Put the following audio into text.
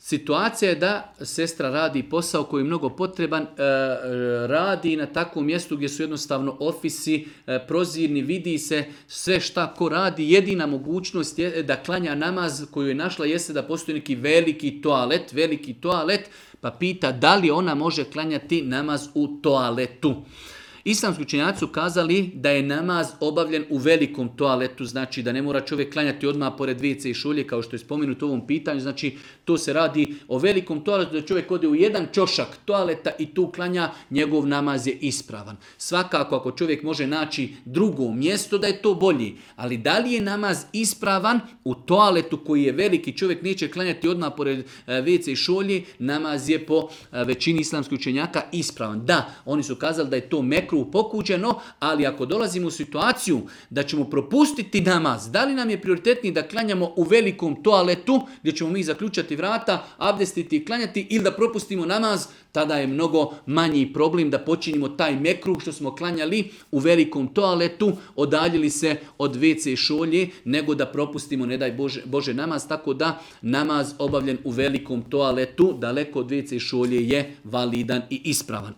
situacija je da sestra radi posao koji je mnogo potreban, radi na takvom mjestu gdje su jednostavno ofisi, prozirni, vidi se sve šta ko radi. Jedina mogućnost je da klanja namaz koju je našla jeste da postoji neki veliki toalet, pa pita da li ona može klanjati namaz u toaletu. Islamski učenjaci su kazali da je namaz obavljen u velikom toaletu, znači da ne mora čovjek klanjati odmah pored WC i šolje kao što je spomenuto u ovom pitanju, znači to se radi o velikom toaletu, da čovjek ode u jedan ćošak toaleta i tu klanja, njegov namaz je ispravan. Svakako ako čovjek može naći drugo mjesto da je to bolji, ali da li je namaz ispravan u toaletu koji je veliki, čovjek neće klanjati odmah pored WC i šolje, namaz je po većini islamskih učenjaka ispravan. Da, oni su kazali da je to mekruh pokuđeno, ali ako dolazimo u situaciju da ćemo propustiti namaz, da li nam je prioritetniji da klanjamo u velikom toaletu gdje ćemo mi zaključati vrata, abdestiti i klanjati, ili da propustimo namaz, tada je mnogo manji problem da počinimo taj mekruh što smo klanjali u velikom toaletu, odaljili se od WC šolje, nego da propustimo, ne daj Bože, namaz, tako da namaz obavljen u velikom toaletu, daleko od WC šolje, je validan i ispravan.